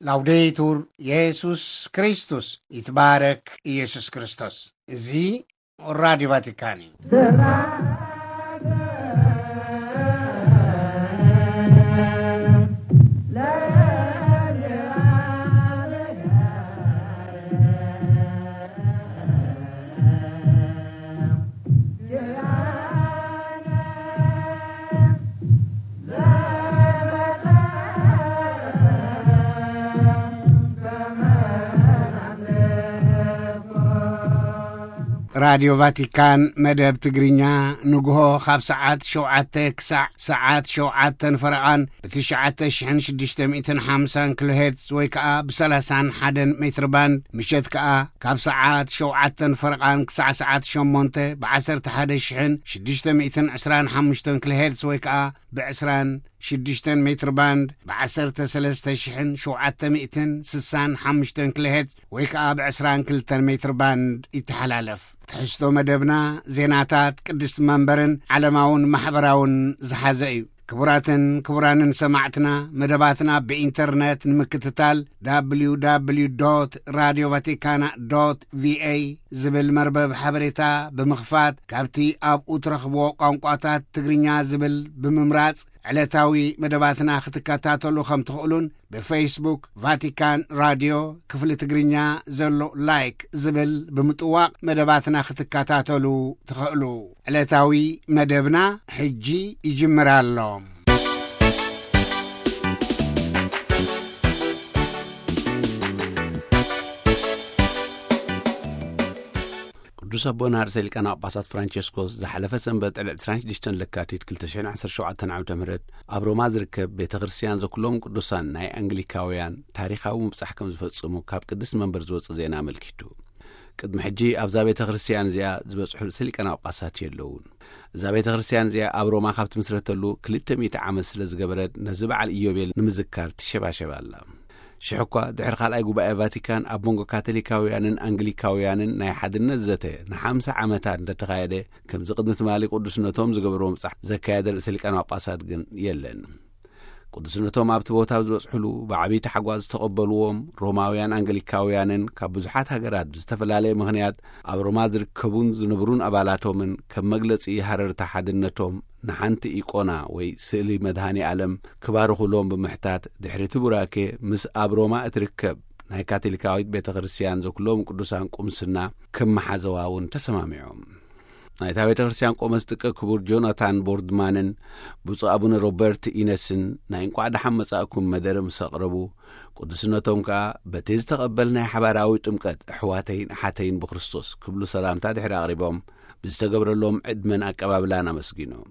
ላውዴቱር የሱስ ክርስቶስ፣ ይትባረክ ኢየሱስ ክርስቶስ። እዚ ራዲዮ ቫቲካን እዩ። ራዲዮ ቫቲካን መደብ ትግርኛ ንግሆ ካብ ሰዓት ሸውዓተ ክሳዕ ሰዓት ሸውዓተን ፈረቓን ብትሽዓተ ሽሕን ሽዱሽተ ሚእትን ሓምሳን ኪሎ ሄርትዝ ወይ ከኣ ብሰላሳን ሓደን ሜትር ባንድ፣ ምሸት ከኣ ካብ ሰዓት ሸውዓተን ፈረቓን ክሳዕ ሰዓት ሸሞንተ ብዓሰርተ ሓደ ሽሕን ሽዱሽተ ሚእትን ዕስራን ሓሙሽተን ኪሎ ሄርትዝ ወይ ከኣ ብዕስራን ሽዱሽተን ሜትር ባንድ ብዓሰርተ ሰለስተ ሽሕን ሸውዓተ ሚእትን ስሳን ሓሙሽተን ኪሎ ሄርትዝ ወይ ከኣ ብዕስራን ክልተን ሜትር ባንድ ይተሓላለፍ። ትሕዝቶ መደብና ዜናታት ቅድስቲ መንበርን ዓለማውን ማሕበራውን ዝሓዘ እዩ። ክቡራትን ክቡራንን ሰማዕትና፣ መደባትና ብኢንተርነት ንምክትታል፣ www radio vaticana ቪኤ ዝብል መርበብ ሓበሬታ ብምኽፋት፣ ካብቲ ኣብኡ ትረኽብዎ ቋንቋታት ትግርኛ ዝብል ብምምራጽ፣ ዕለታዊ መደባትና ክትከታተሉ ከም ትኽእሉን፣ ብፌስቡክ ቫቲካን ራድዮ ክፍሊ ትግርኛ ዘሎ ላይክ ዝብል ብምጥዋቕ መደባትና ክትከታተሉ ትኽእሉ። ዕለታዊ መደብና ሕጂ ይጅምር ኣሎ። ቅዱስ ኣቦና ርእሰ ሊቃነ ጳጳሳት ፍራንቸስኮስ ዝሓለፈ ሰንበት ዕለት ዕስራን ሽዱሽተን ለካቲት ክልተ ሽሕን ዓሰርተ ሸውዓተን ዓመተ ምህረት ኣብ ሮማ ዝርከብ ቤተ ክርስቲያን ዘኩሎም ቅዱሳን ናይ ኣንግሊካውያን ታሪኻዊ ምብጻሕ ከም ዝፈጽሙ ካብ ቅድስቲ መንበር ዝወጽእ ዜና ኣመልኪቱ። ቅድሚ ሕጂ ኣብዛ ቤተ ክርስቲያን እዚኣ ዝበጽሑ ርእሰ ሊቃነ ጳጳሳት የለውን። እዛ ቤተ ክርስቲያን እዚኣ ኣብ ሮማ ካብ ትምስረተሉ ክልተ ሚእቲ ዓመት ስለ ዝገበረት ነዚ በዓል ኢዮቤል ንምዝካር ትሸባሸብ ኣላ። ሽሕ እኳ ድሕሪ ካልኣይ ጉባኤ ቫቲካን ኣብ መንጎ ካቶሊካውያንን ኣንግሊካውያንን ናይ ሓድነት ዘተ ንሓምሳ ዓመታት እንተተኻየደ፣ ከምዚ ቅድሚ ትማሊ ቅዱስነቶም ዝገበርዎ ምብጻሕ ዘካየደ ርእሰ ሊቃነ ጳጳሳት ግን የለን። ቅዱስነቶም ኣብቲ ቦታ ኣብ ዝበጽሕሉ ብዓብዪ ታሕጓስ ዝተቐበልዎም ሮማውያን ኣንግሊካውያንን ካብ ብዙሓት ሃገራት ብዝተፈላለየ ምኽንያት ኣብ ሮማ ዝርከቡን ዝነብሩን ኣባላቶምን ከም መግለጺ ሃረርታ ሓድነቶም ንሓንቲ ኢቆና ወይ ስእሊ መድሃኔ ዓለም ክባርኹሎም ብምሕታት፣ ድሕሪ እቲ ቡራኬ ምስ ኣብ ሮማ እትርከብ ናይ ካቶሊካዊት ቤተ ክርስቲያን ዘኩሎም ቅዱሳን ቁምስና ከመሓዘዋ እውን ተሰማሚዖም። ናይታ ቤተ ክርስቲያን ቆመስ ጥቀ ክቡር ጆናታን ቦርድማንን ብፁዕ ኣቡነ ሮበርት ኢነስን ናይ እንቋዕ ደሓን መጻእኩም መደረ ምስ ኣቕረቡ፣ ቅዱስነቶም ከኣ በቲ ዝተቐበልናይ ሓባራዊ ጥምቀት ኣሕዋተይን ኣሓተይን ብክርስቶስ ክብሉ ሰላምታ ድሕሪ ኣቕሪቦም፣ ብዝተገብረሎም ዕድመን ኣቀባብላን ኣመስጊኖም።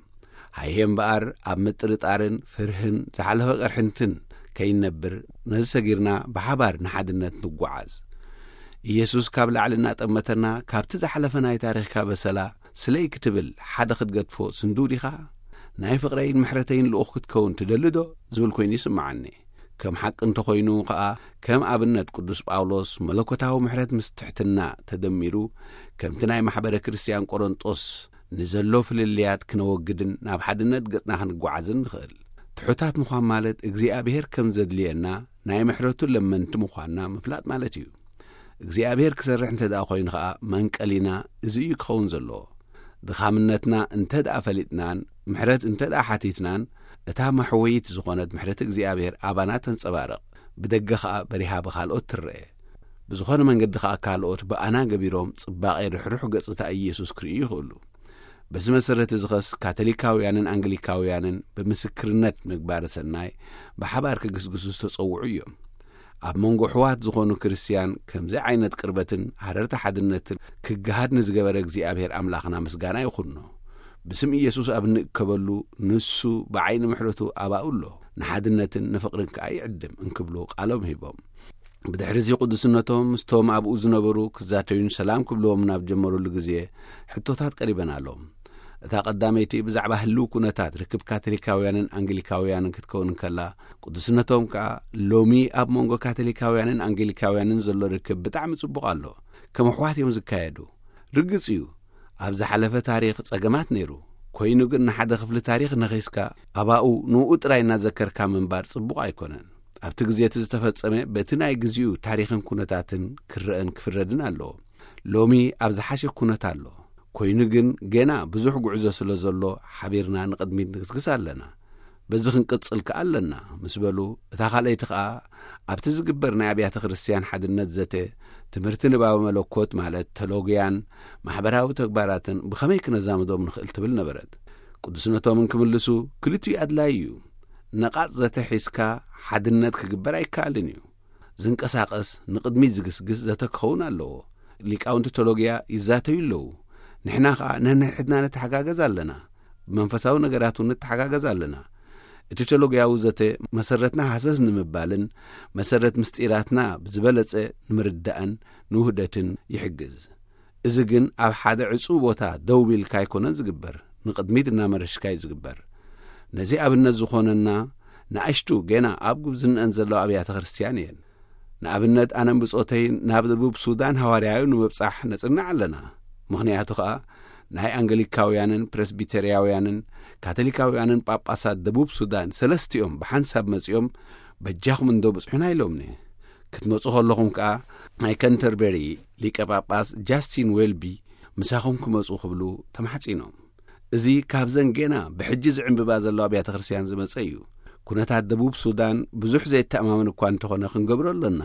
ሃየ እምበኣር ኣብ ምጥርጣርን ፍርህን ዝሓለፈ ቅርሕንትን ከይንነብር፣ ነዚ ሰጊርና ብሓባር ንሓድነት ንጓዓዝ። ኢየሱስ ካብ ላዕሊ እናጠመተና፣ ካብቲ ዝሓለፈ ናይ ታሪኽካ በሰላ ስለይ ክትብል ሓደ ክትገድፎ ስንዱው ዲኻ? ናይ ፍቕረይን ምሕረተይን ልኡኽ ክትከውን ትደሊ ዶ? ዝብል ኮይኑ ይስምዓኒ። ከም ሓቂ እንተኾይኑ ኸኣ፣ ከም ኣብነት ቅዱስ ጳውሎስ መለኮታዊ ምሕረት ምስ ትሕትና ተደሚሩ፣ ከምቲ ናይ ማሕበረ ክርስትያን ቆሮንጦስ ንዘሎ ፍልልያት ክነወግድን ናብ ሓድነት ገጽና ክንጓዓዝን ንኽእል። ትሑታት ምዃን ማለት እግዚኣብሔር ከም ዘድልየና ናይ ምሕረቱ ለመንቲ ምዃንና ምፍላጥ ማለት እዩ። እግዚኣብሔር ክሰርሕ እንተ ደኣ ኮይኑ ኸኣ መንቀሊና እዚ እዩ ክኸውን ዘለዎ። ድኻምነትና እንተ ደኣ ፈሊጥናን ምሕረት እንተ ደኣ ሓቲትናን፣ እታ መሕወይት ዝኾነት ምሕረት እግዚኣብሔር ኣባና ተንጸባርቕ፣ ብደገ ኸኣ በሪሃ ብኻልኦት ትረአ። ብዝኾነ መንገዲ ኸኣ ካልኦት ብኣና ገቢሮም ጽባቐ ርሕሩሕ ገጽታ ኢየሱስ ክርእዩ ይኽእሉ። በዚ መሰረት እዚ ኸስ ካቶሊካውያንን ኣንግሊካውያንን ብምስክርነት ምግባረ ሰናይ ብሓባር ክግስግሱ ዝተጸውዑ እዮም። ኣብ መንጎ ኣሕዋት ዝኾኑ ክርስትያን ከምዚ ዓይነት ቅርበትን ሃረርቲ ሓድነትን ክገሃድ ንዝገበረ እግዚኣብሔር ኣምላኽና ምስጋና ይኹኖ። ብስም ኢየሱስ ኣብ እንእከበሉ ንሱ ብዓይኒ ምሕረቱ ኣባኡ ኣሎ፣ ንሓድነትን ንፍቕርን ከኣ ይዕድም እንክብሉ ቃሎም ሂቦም። ብድሕሪ እዚ ቅዱስነቶም ምስቶም ኣብኡ ዝነበሩ ክዛተዩን ሰላም ክብልዎም ናብ ጀመሩሉ ግዜ ሕቶታት ቀሪበን ኣለዎም። እታ ቀዳመይቲ ብዛዕባ ህልው ኩነታት ርክብ ካቶሊካውያንን ኣንግሊካውያንን ክትከውን እንከላ፣ ቅዱስነቶም ከኣ ሎሚ ኣብ መንጎ ካቶሊካውያንን ኣንግሊካውያንን ዘሎ ርክብ ብጣዕሚ ጽቡቕ ኣሎ፣ ከም ኣሕዋት እዮም ዝካየዱ። ርግጽ እዩ፣ ኣብ ዝሓለፈ ታሪኽ ጸገማት ነይሩ፣ ኮይኑ ግን ንሓደ ክፍሊ ታሪኽ ነኺስካ ኣባኡ ንኡ ጥራይ እናዘከርካ ምንባር ጽቡቕ ኣይኮነን። ኣብቲ ግዜ እቲ ዝተፈጸመ በቲ ናይ ግዜኡ ታሪኽን ኩነታትን ክረአን ክፍረድን ኣለዎ። ሎሚ ኣብ ዝሓሸ ኩነት ኣሎ። ኮይኑ ግን ገና ብዙሕ ጉዕዞ ስለ ዘሎ ሓቢርና ንቕድሚት ንግስግስ ኣለና። በዚ ክንቅጽል ከኣ ኣለና ምስ በሉ፣ እታ ካልኣይቲ ከኣ ኣብቲ ዝግበር ናይ ኣብያተ ክርስቲያን ሓድነት ዘተ፣ ትምህርቲ ንባበ መለኮት ማለት ተሎግያን ማሕበራዊ ተግባራትን ብኸመይ ክነዛምዶም ንኽእል ትብል ነበረት። ቅዱስነቶም እንክምልሱ፣ ክልቲኡ ኣድላዪ እዩ። ነቓጽ ዘተ ሒዝካ ሓድነት ክግበር ኣይከኣልን እዩ። ዝንቀሳቐስ ንቕድሚት ዝግስግስ ዘተ ክኸውን ኣለዎ። ሊቃውንቲ ቴዎሎጊያ ይዛተዩ ኣለዉ። ንሕና ኸኣ ነንሕድና ንተሓጋገዝ ኣለና። ብመንፈሳዊ ነገራት እውን ንተሓጋገዝ ኣለና። እቲ ቴዎሎጊያዊ ዘተ መሰረትና ሃሰስ ንምባልን መሰረት ምስጢራትና ብዝበለጸ ንምርዳእን ንውህደትን ይሕግዝ። እዚ ግን ኣብ ሓደ ዕጹው ቦታ ደው ኢልካ ኣይኮነን ዝግበር፣ ንቕድሚት እናመረሽካ እዩ ዝግበር። ነዚ ኣብነት ዝኾነና ንኣሽቱ ገና ኣብ ጉብዝነአን ዘለዋ ኣብያተ ክርስቲያን እየን። ንኣብነት ኣነን ብጾተይ ናብ ደቡብ ሱዳን ሃዋርያዊ ንምብጻሕ ነጽንዕ ኣለና። ምኽንያቱ ኸኣ ናይ ኣንገሊካውያንን ፕረስቢተርያውያንን ካቶሊካውያንን ጳጳሳት ደቡብ ሱዳን ሰለስቲኦም ብሓንሳብ መጺኦም በጃኹም እንዶ ብጽሑና ኢሎምኒ። ክትመጹ ከለኹም ከኣ ናይ ከንተርበሪ ሊቀ ጳጳስ ጃስቲን ዌልቢ ምሳኹም ክመጹ ክብሉ ተማሕጺኖም። እዚ ካብዘን ገና ብሕጂ ዝዕምብባ ዘለዋ ኣብያተ ክርስቲያን ዝመጸ እዩ። ኩነታት ደቡብ ሱዳን ብዙሕ ዘየተኣማምን እኳ እንተኾነ ክንገብሮ ኣለና።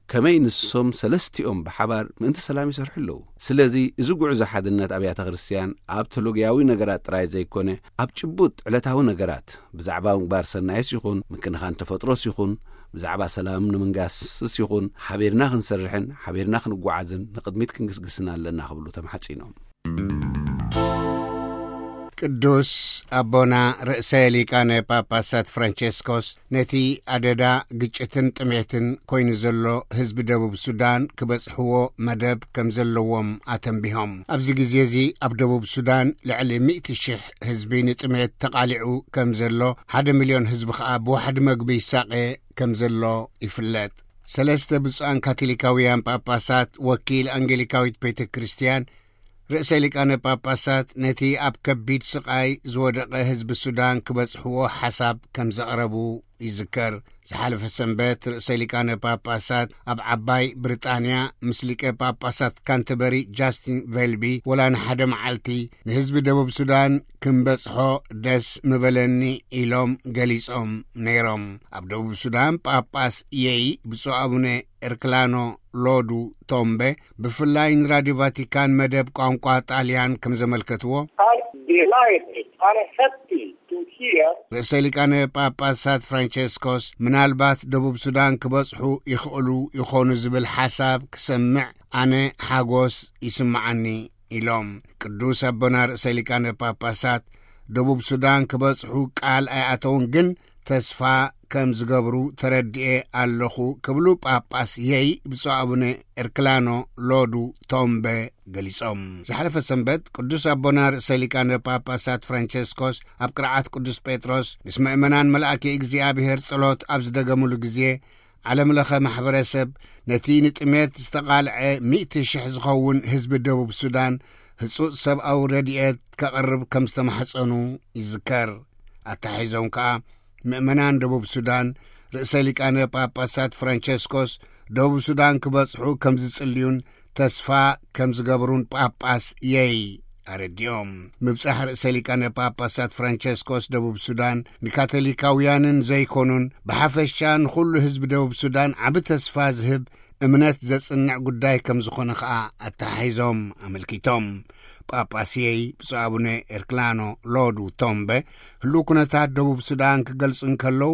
ከመይ ንሶም ሰለስቲኦም ብሓባር ምእንቲ ሰላም ይሰርሑ ኣለዉ። ስለዚ እዚ ጉዕዞ ሓድነት ኣብያተ ክርስቲያን ኣብ ቴዎሎጊያዊ ነገራት ጥራይ ዘይኮነ ኣብ ጭቡጥ ዕለታዊ ነገራት ብዛዕባ ምግባር ሰናይስ ይኹን ምክንኻን ተፈጥሮስ ይኹን ብዛዕባ ሰላም ንምንጋስስ ይኹን ሓቢርና ክንሰርሕን ሓቢርና ክንጓዓዝን ንቕድሚት ክንግስግስን ኣለና ክብሉ ተማሕጺኖም። ቅዱስ ኣቦና ርእሰ ሊቃነ ጳጳሳት ፍራንቸስኮስ ነቲ ኣደዳ ግጭትን ጥሜትን ኮይኑ ዘሎ ህዝቢ ደቡብ ሱዳን ክበጽሕዎ መደብ ከም ዘለዎም ኣተንቢሆም። ኣብዚ ግዜ እዚ ኣብ ደቡብ ሱዳን ልዕሊ ሚእቲ ሽሕ ህዝቢ ንጥሜት ተቓሊዑ ከም ዘሎ፣ ሓደ ሚልዮን ህዝቢ ከኣ ብዋሕዲ መግቢ ይሳቐ ከም ዘሎ ይፍለጥ። ሰለስተ ብፁዓን ካቶሊካውያን ጳጳሳት፣ ወኪል ኣንጌሊካዊት ቤተ ክርስቲያን፣ ርእሰ ሊቃነ ጳጳሳት ነቲ ኣብ ከቢድ ስቓይ ዝወደቐ ህዝቢ ሱዳን ክበጽሕዎ ሓሳብ ከም ዘቕረቡ ይዝከር። ዝሓለፈ ሰንበት ርእሰ ሊቃነ ጳጳሳት ኣብ ዓባይ ብሪጣንያ ምስ ሊቀ ጳጳሳት ካንተበሪ ጃስቲን ቬልቢ ወላ ንሓደ መዓልቲ ንህዝቢ ደቡብ ሱዳን ክንበጽሖ ደስ ምበለኒ ኢሎም ገሊጾም ነይሮም። ኣብ ደቡብ ሱዳን ጳጳስ የይ ብፁዕ ኣቡነ ኤርክላኖ ሎዱ ቶምበ ብፍላይ ንራድዮ ቫቲካን መደብ ቋንቋ ጣልያን ከም ዘመልከትዎ፣ I'm delighted, I'm happy to hear. ርእሰ ሊቃነ ጳጳሳት ፍራንቸስኮስ ምናልባት ደቡብ ሱዳን ክበጽሑ ይኽእሉ ይኾኑ ዝብል ሓሳብ ክሰምዕ ኣነ ሓጎስ ይስምዓኒ ኢሎም። ቅዱስ ኣቦና ርእሰ ሊቃነ ጳጳሳት ደቡብ ሱዳን ክበጽሑ ቃል ኣይኣተውን፣ ግን ተስፋ ከም ዝገብሩ ተረዲኤ ኣለኹ ክብሉ ጳጳስ የይ ብፁዕ ኣቡነ ኤርክላኖ ሎዱ ቶምበ ገሊጾም። ዝሓለፈ ሰንበት ቅዱስ ኣቦና ርእሰ ሊቃነ ጳጳሳት ፍራንቸስኮስ ኣብ ቅርዓት ቅዱስ ጴጥሮስ ምስ ምእመናን መልኣኪ እግዚኣብሔር ጸሎት ኣብ ዝደገሙሉ ግዜ፣ ዓለም ለኸ ማሕበረሰብ ነቲ ንጥሜት ዝተቓልዐ ሚእቲ ሽሕ ዝኸውን ህዝቢ ደቡብ ሱዳን ህጹጽ ሰብኣዊ ረድኤት ከቕርብ ከም ዝተማሕጸኑ ይዝከር። ኣተሓሒዞም ከኣ ምእመናን ደቡብ ሱዳን ርእሰ ሊቃነ ጳጳሳት ፍራንቸስኮስ ደቡብ ሱዳን ክበጽሑ ከም ዝጽልዩን ተስፋ ከም ዝገብሩን ጳጳስ የይ ኣረዲኦም። ምብጻሕ ርእሰ ሊቃነ ጳጳሳት ፍራንቸስኮስ ደቡብ ሱዳን ንካቶሊካውያንን ዘይኮኑን ብሓፈሻ ንኹሉ ህዝቢ ደቡብ ሱዳን ዓቢ ተስፋ ዝህብ እምነት ዘጽንዕ ጉዳይ ከም ዝኾነ ኸኣ ኣተሓሒዞም ኣመልኪቶም። ጳጳስ የይ ብፁዕ ኣቡነ ኤርክላኖ ሎዱ ቶምበ ህሉው ኩነታት ደቡብ ሱዳን ክገልጹ እንከለዉ፣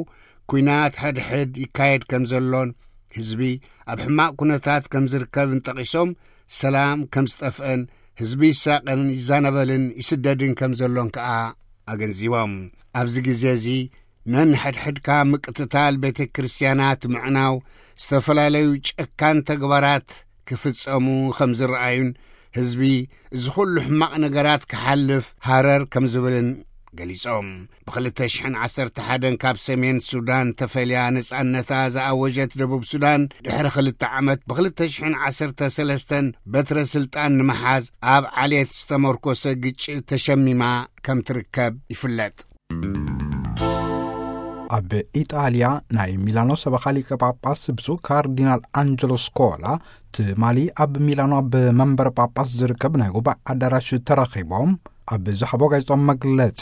ኲናት ሕድሕድ ይካየድ ከም ዘሎን ህዝቢ ኣብ ሕማቕ ኩነታት ከም ዝርከብን ጠቒሶም፣ ሰላም ከም ዝጠፍአን ህዝቢ ይሳቐን ይዛነበልን ይስደድን ከም ዘሎን ከኣ ኣገንዚቦም። ኣብዚ ግዜ እዚ ነንሕድሕድካ ምቅትታል ቤተ ክርስቲያናት ምዕናው፣ ዝተፈላለዩ ጨካን ተግባራት ክፍጸሙ ከም ዝረኣዩን ህዝቢ እዚ ኩሉ ሕማቕ ነገራት ክሓልፍ ሃረር ከም ዝብልን ገሊጾም። ብ ክልተ ሽሕን ዓሰርተ ሓደን ካብ ሰሜን ሱዳን ተፈልያ ነጻነታ ዝኣወጀት ደቡብ ሱዳን፣ ድሕሪ ክልተ ዓመት ብ ክልተ ሽሕን ዓሰርተ ሰለስተን በትረ ስልጣን ንምሓዝ ኣብ ዓሌት ዝተመርኮሰ ግጭት ተሸሚማ ከም ትርከብ ይፍለጥ። ኣብ ኢጣልያ ናይ ሚላኖ ሰበኻ ሊቀ ጳጳስ ብፁዕ ካርዲናል ኣንጀሎ ስኮላ ትማሊ ኣብ ሚላኖ ኣብ መንበረ ጳጳስ ዝርከብ ናይ ጉባኤ ኣዳራሽ ተረኺቦም ኣብ ዝሃቦ ጋዜጣዊ መግለጺ፣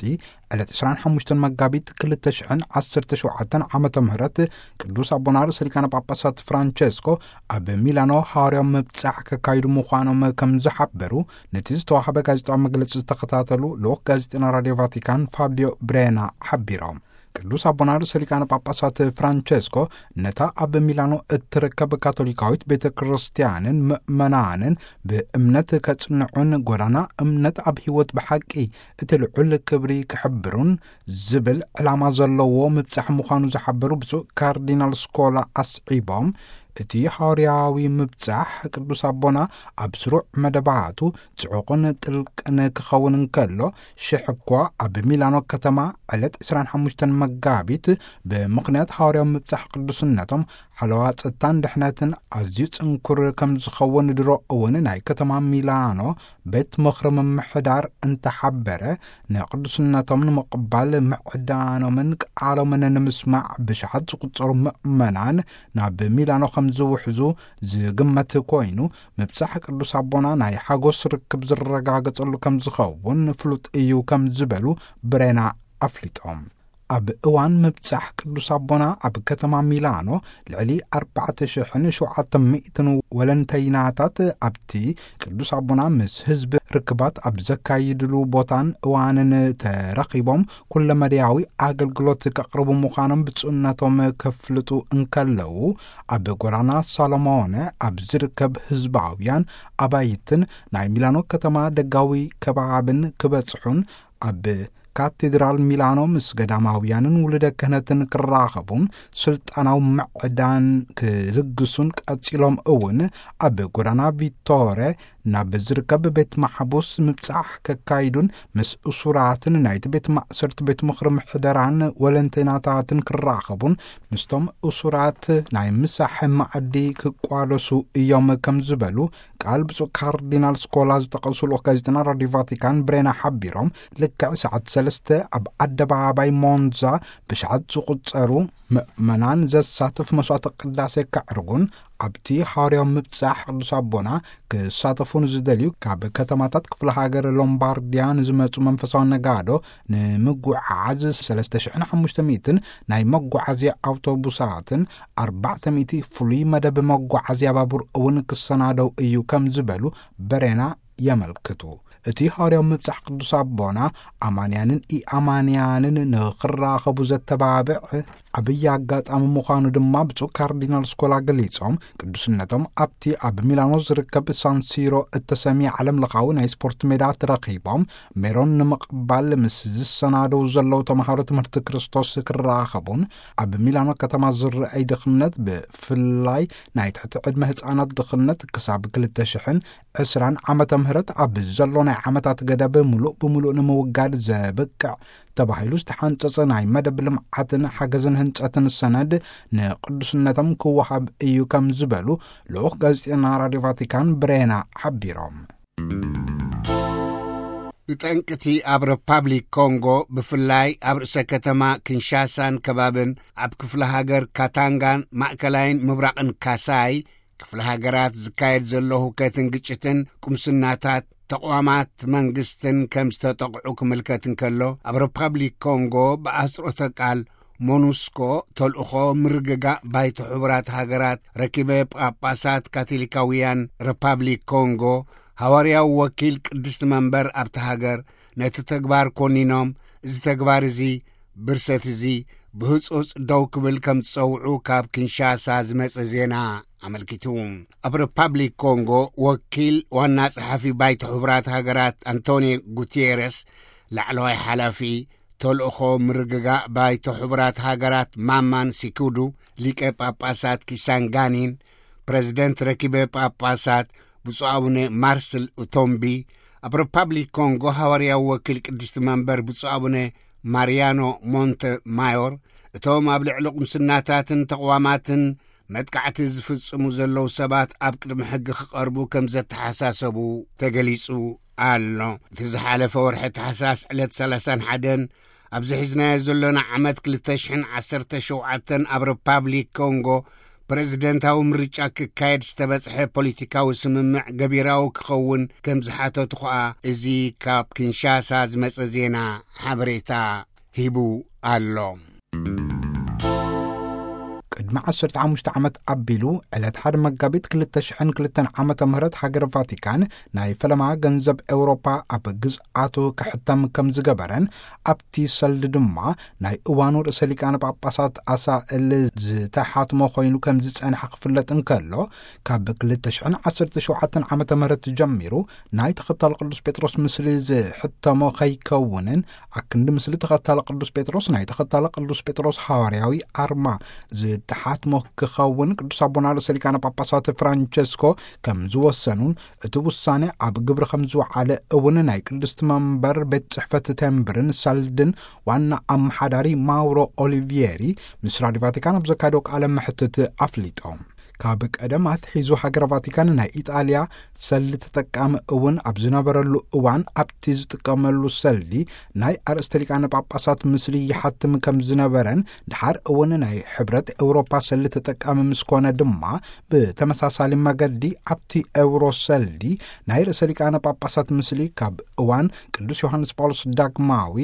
ዕለት ዕስራን ሓሙሽተን መጋቢት ክልተ ሽሕን ዓሰርተ ሸውዓተን ዓመተ ምህረት ቅዱስ ኣቦና ርእሰ ሊቃነ ጳጳሳት ፍራንቸስኮ ኣብ ሚላኖ ሃዋርያዊ ምብጻሕ ከካይዱ ምዃኖም ከም ዝሓበሩ፣ ነቲ ዝተዋህበ ጋዜጣዊ መግለጺ ዝተኸታተሉ ልኡኽ ጋዜጠና ራድዮ ቫቲካን ፋቢዮ ብሬና ሓቢሮም። ቅዱስ ኣቦና ርእሰ ሊቃነ ጳጳሳት ፍራንቸስኮ ነታ ኣብ ሚላኖ እትርከብ ካቶሊካዊት ቤተ ክርስቲያንን ምእመናንን ብእምነት ከጽንዑን ጎዳና እምነት ኣብ ህይወት ብሓቂ እቲ ልዑል ክብሪ ክሕብሩን ዝብል ዕላማ ዘለዎ ምብጻሕ ምዃኑ ዝሓበሩ ብፁዕ ካርዲናል ስኮላ ኣስዒቦም፣ እቲ ሃዋርያዊ ምብጻሕ ቅዱስ ኣቦና ኣብ ስሩዕ መደባቱ ጽዑቕን ጥልቅን ክኸውን እንከሎ፣ ሽሕ እኳ ኣብ ሚላኖ ከተማ ዕለት ዕስራን ሓሙሽተን መጋቢት ብምኽንያት ሃዋርያዊ ምብጻሕ ቅዱስነቶም ሓለዋ ጸጥታን ድሕነትን ኣዝዩ ጽንኩር ከም ዝኸውን ድሮ እውን ናይ ከተማ ሚላኖ ቤት ምኽሪ ምምሕዳር እንተሓበረ፣ ንቅዱስነቶም ንምቕባል ምዕዳኖምን ቃሎምን ንምስማዕ ብሽሓት ዝቁጸሩ ምእመናን ናብ ሚላኖ ከም ዝውሕዙ ዝግመት ኮይኑ፣ ምብጻሕ ቅዱስ ኣቦና ናይ ሓጎስ ርክብ ዝረጋገጸሉ ከም ዝኸውን ፍሉጥ እዩ ከም ዝበሉ ብሬና ኣፍሊጦም። ኣብ እዋን ምብጻሕ ቅዱስ ኣቦና ኣብ ከተማ ሚላኖ ልዕሊ ኣርባዕተ ሽሕን ሸውዓተ ሚእትን ወለንተይናታት ኣብቲ ቅዱስ ኣቦና ምስ ህዝቢ ርክባት ኣብ ዘካይድሉ ቦታን እዋንን ተረኺቦም ኩለመዳያዊ ኣገልግሎት ከቕርቡ ምዃኖም ብፁዕነቶም ከፍልጡ እንከለዉ፣ ኣብ ጎዳና ሳሎሞነ ኣብ ዝርከብ ህዝባውያን ኣባይትን ናይ ሚላኖ ከተማ ደጋዊ ከባብን ክበጽሑን ኣብ ካቴድራል ሚላኖ ምስ ገዳማውያንን ውሉደ ክህነትን ክራኸቡን ስልጣናዊ ምዕዳን ክልግሱን ቀጺሎም እውን ኣብ ጎዳና ቪቶረ ናብ ዝርከብ ቤት ማሕቡስ ምብጻሕ ከካይዱን ምስ እሱራትን ናይቲ ቤት ማእሰርቲ ቤት ምኽሪ ምሕደራን ወለንተይናታትን ክራኸቡን ምስቶም እሱራት ናይ ምሳሕ መኣዲ ክቋደሱ እዮም ከም ዝበሉ ቃል ብፁዕ ካርዲናል ስኮላ ዝጠቐሱ ልኡኽ ጋዜጠና ራዲዮ ቫቲካን ብሬና ሓቢሮም፣ ልክዕ ሰዓት ሰለስተ ኣብ ኣደባባይ ሞንዛ ብሽሓት ዝቑጸሩ ምእመናን ዘሳትፍ መስዋዕተ ቅዳሴ ከዕርጉን ኣብቲ ሃዋርያዊ ምብጻሕ ቅዱስ ኣቦና ክሳተፉን ዝደልዩ ካብ ከተማታት ክፍለ ሃገር ሎምባርድያ ንዝመጹ መንፈሳዊ ነጋዶ ንምጉዓዝ ሰለስተ ሽሕን ሓሙሽተ ሚእትን ናይ መጓዓዝያ ኣውቶቡሳትን ኣርባዕተ ሚእቲ ፍሉይ መደብ መጓዓዝያ ባቡር እውን ክሰናደው እዩ ከም ዝበሉ በሬና የመልክቱ። እቲ ሃዋርያዊ ምብጻሕ ቅዱስ ኣቦና ኣማንያንን ኢኣማንያንን ንኽራኸቡ ዘተባብዕ ዓብዪ ኣጋጣሚ ምዃኑ ድማ ብፁዕ ካርዲናል ስኮላ ገሊጾም፣ ቅዱስነቶም ኣብቲ ኣብ ሚላኖ ዝርከብ ሳንሲሮ እተሰምየ ዓለም ለኻዊ ናይ ስፖርት ሜዳ ተረኺቦም ሜሮን ንምቕባል ምስ ዝሰናደው ዘለዉ ተምሃሮ ትምህርቲ ክርስቶስ ክራኸቡን፣ ኣብ ሚላኖ ከተማ ዝረኣይ ድኽነት ብፍላይ ናይ ትሕቲ ዕድመ ህፃናት ድኽነት ክሳብ ክልተ ሽሕን ዕስራን ዓመተ ምህረት ኣብ ዘሎ ናይ ዓመታት ገደብ ምሉእ ብምሉእ ንምውጋድ ዘብቅዕ ተባሂሉ ዝተሓንጸጸ ናይ መደብ ልምዓትን ሓገዝን ህንጸትን ሰነድ ንቅዱስነቶም ክወሃብ እዩ ከም ዝበሉ ልኡኽ ጋዜጠና ራዲዮ ቫቲካን ብሬና ሓቢሮም። ብጠንቅቲ ኣብ ሪፓብሊክ ኮንጎ ብፍላይ ኣብ ርእሰ ከተማ ኪንሻሳን ከባብን ኣብ ክፍለ ሃገር ካታንጋን ማእከላይን ምብራቕን ካሳይ ክፍለ ሃገራት ዝካየድ ዘሎ ሁከትን ግጭትን ቁምስናታት ተቋማት መንግስትን ከም ዝተጠቕዑ ክምልከት እንከሎ፣ ኣብ ሪፓብሊክ ኮንጎ ብኣስሮተ ቃል ሞኑስኮ ተልእኾ ምርግጋእ ባይቶ ሕቡራት ሃገራት ረኪበ ጳጳሳት ካቶሊካውያን ሪፓብሊክ ኮንጎ ሃዋርያዊ ወኪል ቅድስቲ መንበር ኣብቲ ሃገር ነቲ ተግባር ኮኒኖም፣ እዚ ተግባር እዚ ብርሰት እዚ ብህጹጽ ደው ክብል ከም ዝጸውዑ ካብ ኪንሻሳ ዝመጸ ዜና ኣመልኪቱ። ኣብ ሪፓብሊክ ኮንጎ ወኪል ዋና ጸሓፊ ባይቶ ሕቡራት ሃገራት ኣንቶኒዮ ጉቴሬስ፣ ላዕለዋይ ሓላፊ ተልእኾ ምርግጋእ ባይቶ ሕቡራት ሃገራት ማማን ሲኩዱ፣ ሊቀ ጳጳሳት ኪሳንጋኒን ፕረዚደንት ረኪበ ጳጳሳት ብፁዕ ኣቡነ ማርስል ኡቶምቢ፣ ኣብ ሪፓብሊክ ኮንጎ ሃዋርያዊ ወኪል ቅድስቲ መንበር ብፁዕ ኣቡነ ማርያኖ ሞንተ ማዮር፣ እቶም ኣብ ልዕሊ ቁምስናታትን ተቕዋማትን መጥቃዕቲ ዝፍጽሙ ዘለዉ ሰባት ኣብ ቅድሚ ሕጊ ክቐርቡ ከም ዘተሓሳሰቡ ተገሊጹ ኣሎ። እቲ ዝሓለፈ ወርሒ ታሕሳስ ዕለት ሰላሳን ሓደን ኣብዚ ሒዝናዮ ዘሎና ዓመት ክልተ ሽሕን ዓሰርተ ሸውዓተን ኣብ ሪፓብሊክ ኮንጎ ፕረዚደንታዊ ምርጫ ክካየድ ዝተበጽሐ ፖለቲካዊ ስምምዕ ገቢራዊ ክኸውን ከም ዝሓተቱ ኸኣ እዚ ካብ ኪንሻሳ ዝመጸ ዜና ሓበሬታ ሂቡ ኣሎ። ቅድሚ ዓሰርተ ሓሙሽተ ዓመት ኣቢሉ፣ ዕለት ሓደ መጋቢት ክልተ ሽሕን ክልተን ዓመተ ምህረት ሃገር ቫቲካን ናይ ፈለማ ገንዘብ ኤውሮፓ ኣብ ግዝኣቱ ክሕተም ከም ዝገበረን፣ ኣብቲ ሰልዲ ድማ ናይ እዋኑ ርእሰ ሊቃነ ጳጳሳት ኣሳእል ዝተሓትሞ ኮይኑ ከም ዝጸንሐ ክፍለጥ እንከሎ፣ ካብ ክልተ ሽሕን ዓሰርተ ሸውዓተን ዓመተ ምህረት ጀሚሩ ናይ ተኸታሊ ቅዱስ ጴጥሮስ ምስሊ ዝሕተሞ ከይከውንን፣ ኣክንዲ ምስሊ ተኸታሊ ቅዱስ ጴጥሮስ ናይ ተኸታሊ ቅዱስ ጴጥሮስ ሃዋርያዊ ኣርማ ዝተሓትሞ ክኸውን ቅዱስ ኣቦና ርእሰ ሊቃነ ጳጳሳት ፍራንቸስኮ ከም ዝወሰኑን፣ እቲ ውሳኔ ኣብ ግብሪ ከም ዝወዓለ እውን ናይ ቅድስቲ መንበር ቤት ጽሕፈት ቴምብርን ሰልድን ዋና ኣመሓዳሪ ማውሮ ኦሊቪየሪ ምስ ራዲዮ ቫቲካን ኣብ ዘካየዶ ቃለ መሕትት ኣፍሊጦም። ካብ ቀደም ኣትሒዙ ሃገረ ቫቲካን ናይ ኢጣልያ ሰልዲ ተጠቃሚ እውን ኣብ ዝነበረሉ እዋን፣ ኣብቲ ዝጥቀመሉ ሰልዲ ናይ ኣርእስተ ሊቃነ ጳጳሳት ምስሊ ይሓትም ከም ዝነበረን፣ ድሓር እውን ናይ ሕብረት ኤውሮፓ ሰልዲ ተጠቃሚ ምስ ኮነ ድማ፣ ብተመሳሳሊ መገዲ ኣብቲ ኤውሮ ሰልዲ ናይ ርእሰ ሊቃነ ጳጳሳት ምስሊ ካብ እዋን ቅዱስ ዮሃንስ ጳውሎስ ዳግማዊ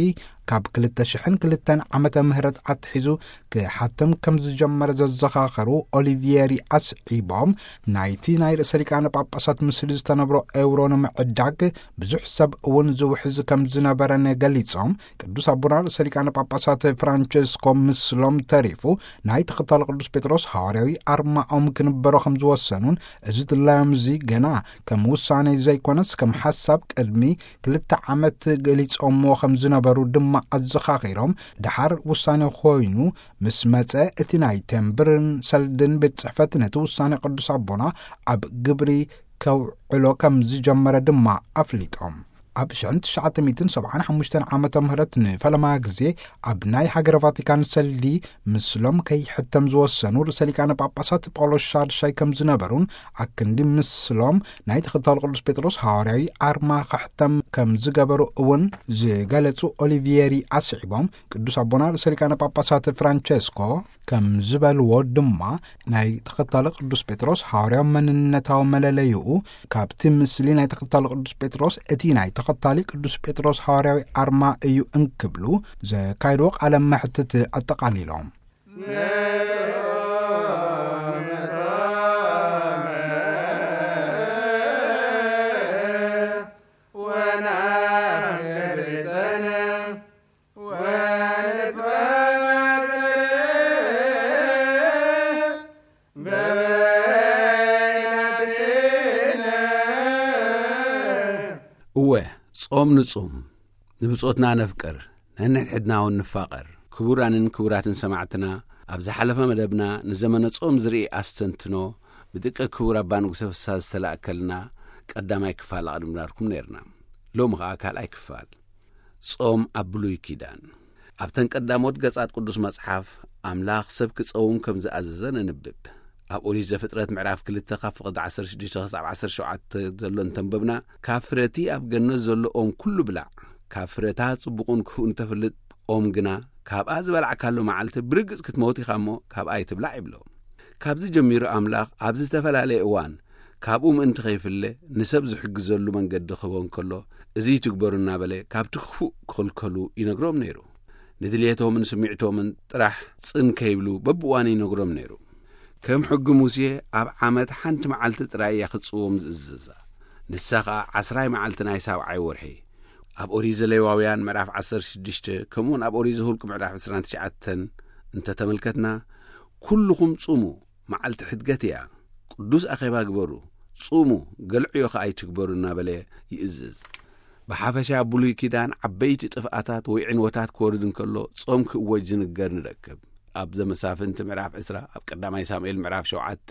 ካብ ክልተ ሽሕን ክልተን ዓመተ ምህረት ኣትሒዙ ክሓትም ከም ዝጀመረ ዘዘኻኸሩ ኦሊቪየሪ ኣስዒቦም፣ ናይቲ ናይ ርእሰ ሊቃነ ጳጳሳት ምስሊ ዝተነብሮ ኤውሮ ንምዕዳግ ብዙሕ ሰብ እውን ዝውሕዝ ከም ዝነበረን ገሊጾም፣ ቅዱስ ኣቦና ርእሰ ሊቃነ ጳጳሳት ፍራንቸስኮ ምስሎም ተሪፉ ናይ ተኸታሊ ቅዱስ ጴጥሮስ ሃዋርያዊ ኣርማኦም ክንበሮ ከም ዝወሰኑን፣ እዚ ድላዮም እዚ ገና ከም ውሳኔ ዘይኮነስ ከም ሓሳብ ቅድሚ ክልተ ዓመት ገሊጾምዎ ከም ዝነበሩ ድማ ኣዘኻኺሮም፣ ድሓር ውሳኔ ኮይኑ ምስ መጸ እቲ ናይ ቴምብርን ሰልድን ቤት ጽሕፈት ነቲ ውሳኔ ቅዱስ ኣቦና ኣብ ግብሪ ከውዕሎ ከም ዝጀመረ ድማ ኣፍሊጦም። ኣብ ሽሕን ትሽዓተ ሚእትን ሰብዓን ሓሙሽተን ዓመተ ምህረት ንፈለማ ግዜ ኣብ ናይ ሃገረ ቫቲካን ሰልዲ ምስሎም ከይሕተም ዝወሰኑ ርእሰ ሊቃነ ጳጳሳት ጳውሎስ ሻድሻይ ከም ዝነበሩን፣ ኣክንዲ ምስሎም ናይ ተኸታሊ ቅዱስ ጴጥሮስ ሃዋርያዊ ኣርማ ክሕተም ከም ዝገበሩ እውን ዝገለጹ ኦሊቪየሪ ኣስዒቦም፣ ቅዱስ ኣቦና ርእሰ ሊቃነ ጳጳሳት ፍራንቸስኮ ከም ዝበልዎ ድማ፣ ናይ ተኸታሊ ቅዱስ ጴጥሮስ ሃዋርያዊ መንነታዊ መለለይኡ ካብቲ ምስሊ ናይ ተኸታሊ ቅዱስ ጴጥሮስ እቲ ናይ ተኸታሊ ቅዱስ ጴጥሮስ ሃዋርያዊ ኣርማ እዩ እንክብሉ ዘካይድዎ ቃለ መሕትት ኣጠቓሊሎም። እወ፣ ጾም ንጹም፣ ንብጾትና ነፍቅር፣ ነንሕድሕድና እውን ንፋቐር። ክቡራንን ክቡራትን ሰማዕትና፣ ኣብ ዝሓለፈ መደብና ንዘመነ ጾም ዝርኢ ኣስተንትኖ ብደቂ ክቡር ኣባ ንጉሰ ፍስሃ ዝተላእከልና ቀዳማይ ክፋል ኣቕዲምናልኩም ነይርና። ሎሚ ኸኣ ካልኣይ ክፋል። ጾም ኣብ ብሉይ ኪዳን። ኣብተን ቀዳሞት ገጻት ቅዱስ መጽሓፍ፣ ኣምላኽ ሰብ ክጸውም ከም ዝኣዘዘ ነንብብ። ኣብ ኦሪት ዘፍጥረት ምዕራፍ ክልተ ካብ ፍቕዲ ዓሰርተ ሽዱሽተ ክሳብ ዓሰርተ ሸውዓተ ዘሎ እንተንበብና፣ ካብ ፍረቲ ኣብ ገነት ዘሎ ኦም ኩሉ ብላዕ፣ ካብ ፍረታ ጽቡቕን ክፉእን እተፍልጥ ኦም ግና፣ ካብኣ ዝበላዕካሉ መዓልቲ ብርግጽ ክትመውት ኢኻ እሞ፣ ካብኣ ኣይትብላዕ ይብሎ። ካብዚ ጀሚሩ ኣምላኽ ኣብ ዝተፈላለየ እዋን ካብኡ ምእንቲ ኸይፍለ ንሰብ ዝሕግዘሉ መንገዲ ክህቦ እንከሎ፣ እዚ ይትግበሩ እናበለ ካብቲ ክፉእ ክኽልከሉ ይነግሮም ነይሩ። ንድልየቶምን ስሚዕቶምን ጥራሕ ጽን ከይብሉ በብእዋኑ ይነግሮም ነይሩ። ከም ሕጊ ሙሴ ኣብ ዓመት ሓንቲ መዓልቲ ጥራይ እያ ክትጽዎም ዝእዝዛ። ንሳ ኸኣ ዓስራይ መዓልቲ ናይ ሳብዓይ ወርሒ። ኣብ ኦሪት ዘሌዋውያን ምዕራፍ ዓሰርተ ሽዱሽተ፣ ከምኡውን ኣብ ኦሪት ዘኍልቁ ምዕራፍ ዕስራን ትሽዓተን እንተተመልከትና፣ "ኩልኹም ጽሙ፣ መዓልቲ ሕድገት እያ፣ ቅዱስ ኣኼባ ግበሩ፣ ጽሙ፣ ገልዕዮ ኸኣ ኣይትግበሩ" እናበለ ይእዝዝ። ብሓፈሻ፣ ኣብ ብሉይ ኪዳን ዓበይቲ ጥፍኣታት ወይ ዕንወታት ክወርድ እንከሎ፣ ጾም ክእወጅ ዝንገር ንረክብ። ኣብ ዘመሳፍንቲ ምዕራፍ ዕስራ፣ ኣብ ቀዳማይ ሳሙኤል ምዕራፍ ሸውዓተ፣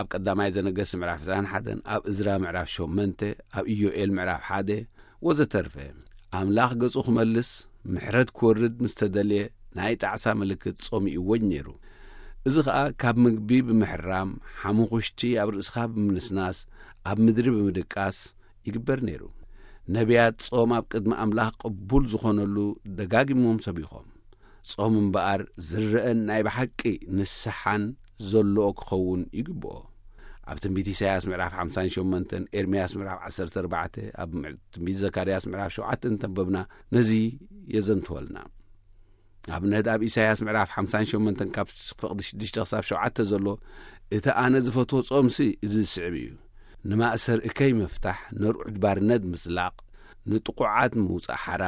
ኣብ ቀዳማይ ዘነገስት ምዕራፍ ዕስራን ሓደን፣ ኣብ እዝራ ምዕራፍ ሸሞንተ፣ ኣብ ኢዮኤል ምዕራፍ ሓደ፣ ወዘተርፈ። ኣምላኽ ገጹ ክመልስ፣ ምሕረት ክወርድ ምስ ተደልየ፣ ናይ ጣዕሳ ምልክት ጾም ይእወጅ ነይሩ። እዚ ኸኣ ካብ ምግቢ ብምሕራም፣ ሓሙኹሽቲ ኣብ ርእስኻ ብምንስናስ፣ ኣብ ምድሪ ብምድቃስ ይግበር ነይሩ። ነቢያት ጾም ኣብ ቅድሚ ኣምላኽ ቅቡል ዝኾነሉ ደጋጊሞም ሰቢኾም። ጾም እምበኣር ዝረአን ናይ ብሓቂ ንስሓን ዘለዎ ክኸውን ይግብኦ። ኣብ ትንቢት ኢሳያስ ምዕራፍ ሓምሳን ሸሞንተን፣ ኤርምያስ ምዕራፍ ዓሰርተ ኣርባዕተ፣ ኣብ ምዕ-፣ ትንቢት ዘካርያስ ምዕራፍ ሸውዓተ እንተንበብና ነዚ የዘንትወልና። ኣብነት ኣብ ኢሳያስ ምዕራፍ ሓምሳን ሸሞንተን ካብ ፍቕዲ ሽዱሽተ ክሳብ ሸውዓተ ዘሎ፣ እቲ ኣነ ዝፈትዎ ጾምሲ እዚ ዝስዕብ እዩ። ንማእሰር እከይ ምፍታሕ፣ ነርዑድ ባርነት ምጽላቕ፣ ንጥቑዓት ምውጻእ ሓራ፣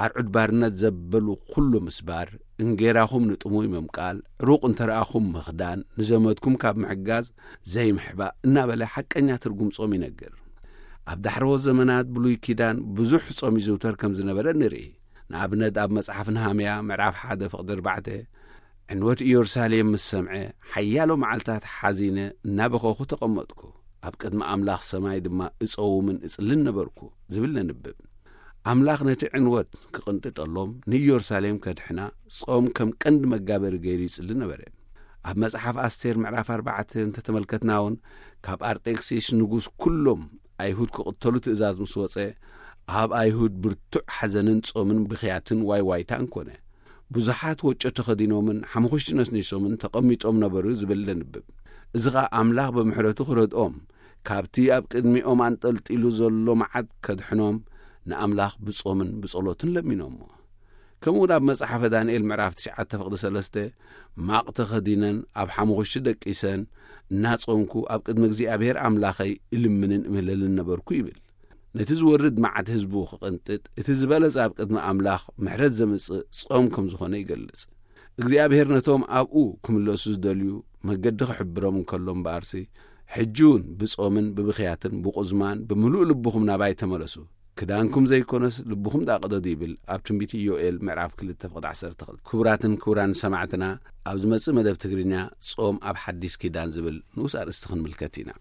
ኣርዑድ ባርነት ዘበሉ ኩሉ ምስባር፣ እንጌራኹም ንጥሙይ ምምቃል፣ ዕሩቕ እንተ ረኣኹም ምኽዳን፣ ንዘመድኩም ካብ ምሕጋዝ ዘይምሕባእ እናበለ ሓቀኛ ትርጉም ጾም ይነግር። ኣብ ዳሕረዎት ዘመናት ብሉይ ኪዳን ብዙሕ ጾም ይዝውተር ከም ዝነበረ ንርኢ። ንኣብነት ኣብ መጽሓፍ ነሃምያ ምዕራፍ ሓደ ፍቕዲ ኣርባዕተ፣ ዕንወት ኢየሩሳሌም ምስ ሰምዐ፣ ሓያሎ መዓልታት ሓዚነ እናበኸኹ ተቐመጥኩ፣ ኣብ ቅድሚ ኣምላኽ ሰማይ ድማ እጸውምን እጽልን ነበርኩ ዝብል ነንብብ። ኣምላኽ ነቲ ዕንወት ክቕንጥጠሎም ንኢየሩሳሌም ከድሕና ጾም ከም ቀንዲ መጋበሪ ገይሩ ይጽሊ ነበረ። ኣብ መጽሓፍ ኣስቴር ምዕራፍ ኣርባዕተ እንተተመልከትና እውን፣ ካብ ኣርጤክሲስ ንጉስ ኩሎም ኣይሁድ ክቕተሉ ትእዛዝ ምስ ወጸ፣ ኣብ ኣይሁድ ብርቱዕ ሓዘንን ጾምን ብኽያትን ዋይዋይታን ኮነ። ብዙሓት ወጮ ተኸዲኖምን ሓሙኽሽቲ ነስኒሶምን ተቐሚጦም ነበሩ ዝብል ነንብብ። እዚ ኸኣ ኣምላኽ ብምሕረቱ ክረድኦም፣ ካብቲ ኣብ ቅድሚኦም ኣንጠልጢሉ ዘሎ መዓት ከድሕኖም ንኣምላኽ ብጾምን ብጸሎትን ለሚኖሞ። ከምኡ እውን ኣብ መጽሓፈ ዳንኤል ምዕራፍ ትሽዓተ ፍቕዲ ሰለስተ፣ ማቕ ተኸዲነን ኣብ ሓሙኽሽቲ ደቂሰን እናጾምኩ ኣብ ቅድሚ እግዚኣብሔር ኣምላኸይ እልምንን እምህለልን ነበርኩ ይብል። ነቲ ዝወርድ መዓት ህዝቡ ክቕንጥጥ፣ እቲ ዝበለጸ ኣብ ቅድሚ ኣምላኽ ምሕረት ዘምጽእ ጾም ከም ዝኾነ ይገልጽ። እግዚኣብሔር ነቶም ኣብኡ ክምለሱ ዝደልዩ መገዲ ክሕብሮም እንከሎ እምበኣርሲ፣ ሕጂ እውን ብጾምን ብብኽያትን ብቑዝማን ብምሉእ ልብኹም ናባይ ተመለሱ፣ ክዳንኩም ዘይኮነስ ልብኹም ደኣ ቅደዱ ይብል ኣብ ትንቢት ኢዮኤል ምዕራፍ ክልተ ፍቕዲ ዓሰርተ ክልተ። ክቡራትን ክቡራን ሰማዕትና፣ ኣብ ዝመጽእ መደብ ትግርኛ ጾም ኣብ ሓዲስ ኪዳን ዝብል ንኡስ ኣርእስቲ ክንምልከት ኢና።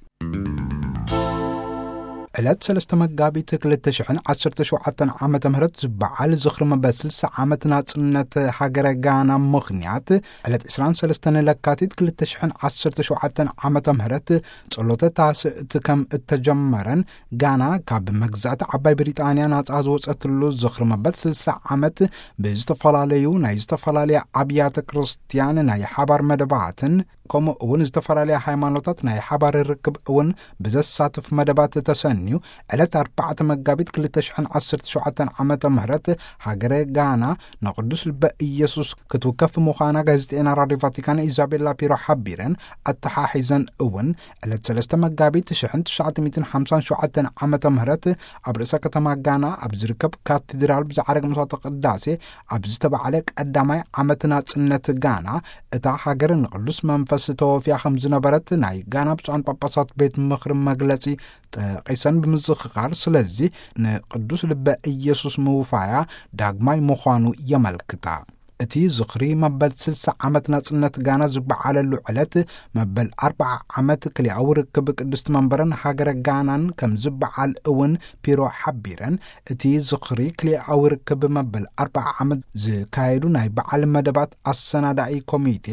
ዕለት ሰለስተ መጋቢት ክልተ ሽሕን ዓሰርተ ሸውዓተን ዓመተ ምህረት ዝበዓል ዝኽሪ መበል ስልሳ ዓመት ናጽነት ሃገረ ጋና ምኽንያት፣ ዕለት ዕስራን ሰለስተን ለካቲት ክልተ ሽሕን ዓሰርተ ሸውዓተን ዓመተ ምህረት ጸሎተ ታስእቲ ከም እተጀመረን፣ ጋና ካብ መግዛእቲ ዓባይ ብሪጣንያ ናጻ ዝወጸትሉ ዝኽሪ መበል ስልሳ ዓመት ብዝተፈላለዩ ናይ ዝተፈላለያ ኣብያተ ክርስትያን ናይ ሓባር መደባትን፣ ከምኡ እውን ዝተፈላለያ ሃይማኖታት ናይ ሓባር ርክብ እውን ብዘሳትፍ መደባት ተሰንዩ፣ ዕለት ኣርባዕተ መጋቢት ክልተ ሽሕን ዓሰርተ ሸውዓተን ዓመተ ምህረት ሃገረ ጋና ንቅዱስ ልበ ኢየሱስ ክትውከፍ ምዃና ጋዜጠኛ ራድዮ ቫቲካን ኢዛቤላ ፒሮ ሓቢረን፣ ኣተሓሒዘን እውን ዕለት ሰለስተ መጋቢት ሽሕን ትሽዓተ ሚእትን ሓምሳን ሸውዓተን ዓመተ ምህረት ኣብ ርእሰ ከተማ ጋና ኣብ ዝርከብ ካቴድራል ብዝዓረገ መስዋዕተ ቅዳሴ ኣብ ዝተባዕለ ቀዳማይ ዓመት ናጽነት ጋና፣ እታ ሃገር ንቅዱስ መንፈስ ተወፍያ ከም ዝነበረት ናይ ጋና ብፁዓን ጳጳሳት ቤት ምኽሪ መግለጺ ጠቒሰን ብምዝኽኻር፣ ስለዚ ንቅዱስ ልበ ኢየሱስ ምውፋያ ዳግማይ ምዃኑ የመልክታ። እቲ ዝኽሪ መበል ስልሳ ዓመት ናጽነት ጋና ዝበዓለሉ ዕለት፣ መበል ኣርብዓ ዓመት ክልኣዊ ርክብ ቅድስቲ መንበርን ሃገረ ጋናን ከም ዝበዓል እውን ፒሮ ሓቢረን፣ እቲ ዝኽሪ ክልኣዊ ርክብ መበል ኣርብዓ ዓመት ዝካየዱ ናይ በዓል መደባት ኣሰናዳኢ ኮሚቴ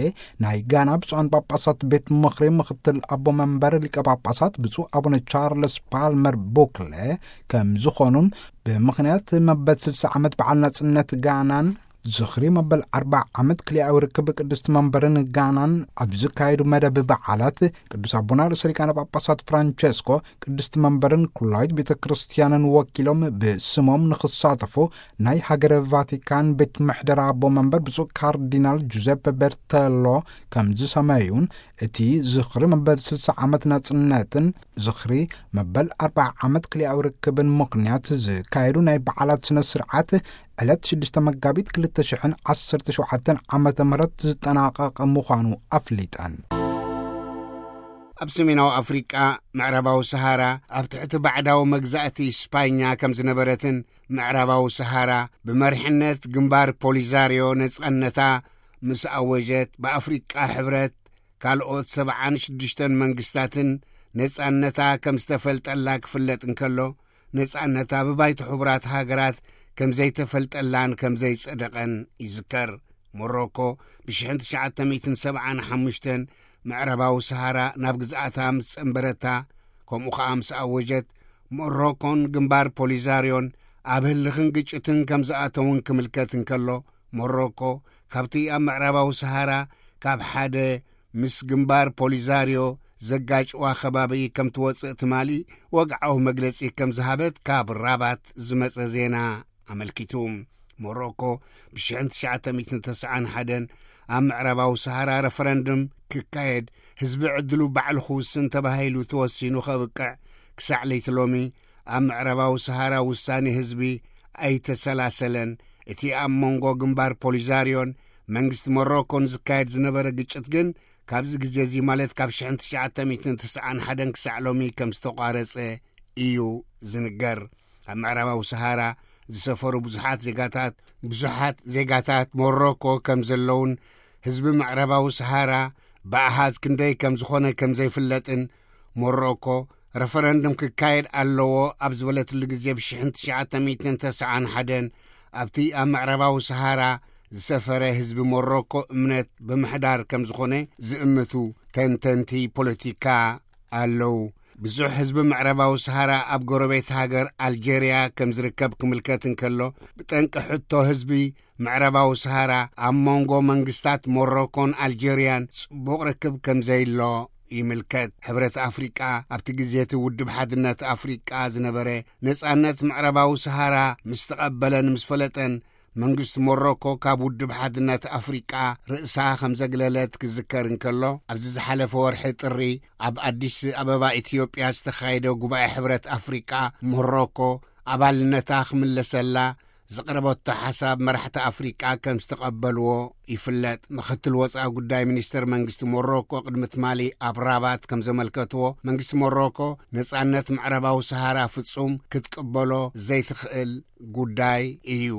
ናይ ጋና ብፁዓን ጳጳሳት ቤት ምኽሪ ምኽትል ኣቦ መንበር ሊቀ ጳጳሳት ብፁዕ ኣቡነ ቻርለስ ፓልመር ቡክለ ከም ዝኾኑን፣ ብምኽንያት መበል ስልሳ ዓመት በዓል ናጽነት ጋናን ዝኽሪ መበል ኣርብዓ ዓመት ክልኣዊ ርክብ ቅድስቲ መንበርን ጋናን ኣብ ዝካየዱ መደብ በዓላት፣ ቅዱስ ኣቦና ርእሰ ሊቃነ ጳጳሳት ፍራንቸስኮ ቅድስቲ መንበርን ኩላዊት ቤተ ክርስቲያንን ወኪሎም ብስሞም ንኽሳተፉ ናይ ሃገረ ቫቲካን ቤት ምሕደራ ኣቦ መንበር ብፁዕ ካርዲናል ጁዘፐ ቤርተሎ ከም ዝሰመዩን፣ እቲ ዝኽሪ መበል ስልሳ ዓመት ናጽነትን ዝኽሪ መበል ኣርብዓ ዓመት ክልኣዊ ርክብን ምኽንያት ዝካየዱ ናይ በዓላት ስነ ስርዓት ዕለት ሽዱሽተ መጋቢት ክልተ ሽሕን ዓሰርተ ሸውዓተን ዓመተ ምህረት ዝጠናቐቐ ምዃኑ ኣፍሊጠን። ኣብ ሰሜናዊ ኣፍሪቃ ምዕራባዊ ሰሃራ ኣብ ትሕቲ ባዕዳዊ መግዛእቲ ስፓኛ ከም ዝነበረትን፣ ምዕራባዊ ሰሃራ ብመሪሕነት ግንባር ፖሊዛርዮ ነጻነታ ምስ ኣወጀት፣ ብኣፍሪቃ ሕብረት ካልኦት ሰብዓን ሽዱሽተን መንግስታትን ነጻነታ ከም ዝተፈልጠላ ክፍለጥ እንከሎ፣ ነጻነታ ብባይቶ ሕቡራት ሃገራት ከም ዘይተፈልጠላን ከም ዘይጸደቐን ይዝከር። ሞሮኮ ብሽሕን ትሽዓተ ሚእትን ሰብዓን ሓሙሽተን ምዕራባዊ ሰሃራ ናብ ግዝኣታ ምስ ጸንበረታ፣ ከምኡ ኸኣ ምስ ኣወጀት፣ ሞሮኮን ግንባር ፖሊዛርዮን ኣብ ህልኽን ግጭትን ከም ዝኣተውን ክምልከት እንከሎ፣ ሞሮኮ ካብቲ ኣብ ምዕራባዊ ሰሃራ ካብ ሓደ ምስ ግንባር ፖሊዛርዮ ዘጋጭዋ ከባቢ ከም ትወጽእ ትማሊ ወግዓዊ መግለጺ ከም ዝሃበት ካብ ራባት ዝመጸ ዜና ኣመልኪቱ። ሞሮኮ ብ ሽሕን ትሽዓተ ሚእትን ተስዓን ሓደን ኣብ ምዕራባዊ ሰሃራ ረፈረንድም ክካየድ፣ ህዝቢ ዕድሉ ባዕሉ ክውስን ተባሂሉ ተወሲኑ ከብቅዕ፣ ክሳዕ ለይቲ ሎሚ ኣብ ምዕራባዊ ሰሃራ ውሳኔ ህዝቢ ኣይተሰላሰለን። እቲ ኣብ መንጎ ግንባር ፖሊዛርዮን መንግስቲ ሞሮኮን ዝካየድ ዝነበረ ግጭት ግን ካብዚ ግዜ እዚ፣ ማለት ካብ ሽሕን ትሽዓተ ሚእትን ተስዓን ሓደን ክሳዕ ሎሚ ከም ዝተቋረጸ እዩ ዝንገር። ኣብ ምዕራባዊ ሰሃራ ዝሰፈሩ ብዙሓት ዜጋታት፣ ብዙሓት ዜጋታት ሞሮኮ ከም ዘለውን ህዝቢ ምዕራባዊ ሰሃራ ብኣሃዝ ክንደይ ከም ዝኾነ ከም ዘይፍለጥን፣ ሞሮኮ ረፈረንድም ክካየድ ኣለዎ ኣብ ዝበለትሉ ግዜ፣ ብ ሽሕን ትሽዓተ ሚእትን ተስዓን ሓደን ኣብቲ ኣብ ምዕራባዊ ሰሃራ ዝሰፈረ ህዝቢ ሞሮኮ እምነት ብምሕዳር ከም ዝኾነ ዝእምቱ ተንተንቲ ፖለቲካ ኣለዉ። ብዙሕ ህዝቢ ምዕራባዊ ሰሃራ ኣብ ጎረቤት ሃገር ኣልጀርያ ከም ዝርከብ ክምልከት እንከሎ፣ ብጠንቂ ሕቶ ህዝቢ ምዕራባዊ ሰሃራ ኣብ መንጎ መንግስታት ሞሮኮን ኣልጀርያን ጽቡቕ ርክብ ከም ዘይሎ ይምልከት። ሕብረት ኣፍሪቃ፣ ኣብቲ ግዜ እቲ ውድብ ሓድነት ኣፍሪቃ ዝነበረ፣ ነጻነት ምዕራባዊ ሰሃራ ምስ ተቐበለን ምስ ፈለጠን፣ መንግስቲ ሞሮኮ ካብ ውድብ ሓድነት ኣፍሪቃ ርእሳ ከም ዘግለለት ክዝከር እንከሎ፣ ኣብዚ ዝሓለፈ ወርሒ ጥሪ ኣብ ኣዲስ ኣበባ ኢትዮጵያ ዝተኻየደ ጉባኤ ሕብረት ኣፍሪቃ፣ ሞሮኮ ኣባልነታ ክምለሰላ ዘቕረበቶ ሓሳብ መራሕቲ ኣፍሪቃ ከም ዝተቐበልዎ ይፍለጥ። ምኽትል ወጻኢ ጉዳይ ሚኒስተር መንግስቲ ሞሮኮ ቅድሚ ትማሊ ኣብ ራባት ከም ዘመልከትዎ፣ መንግስቲ ሞሮኮ ነጻነት ምዕራባዊ ሰሃራ ፍጹም ክትቅበሎ ዘይትኽእል ጉዳይ እዩ።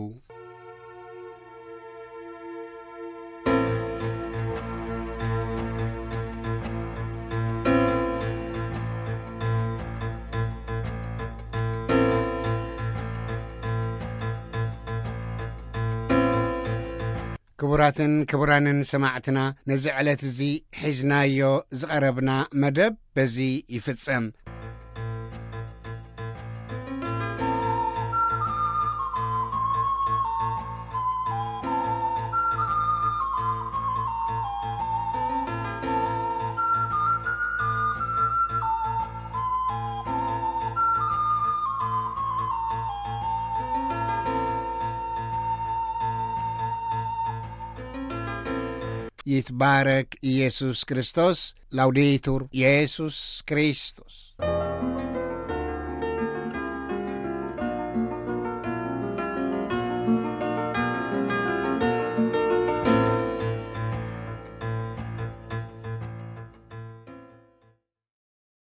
ክቡራትን ክቡራንን ሰማዕትና፣ ነዚ ዕለት እዚ ሒዝናዮ ዝቐረብና መደብ በዚ ይፍጸም። ይትባረክ ኢየሱስ ክርስቶስ። ላውዴቱር ኢየሱስ ክርስቶስ።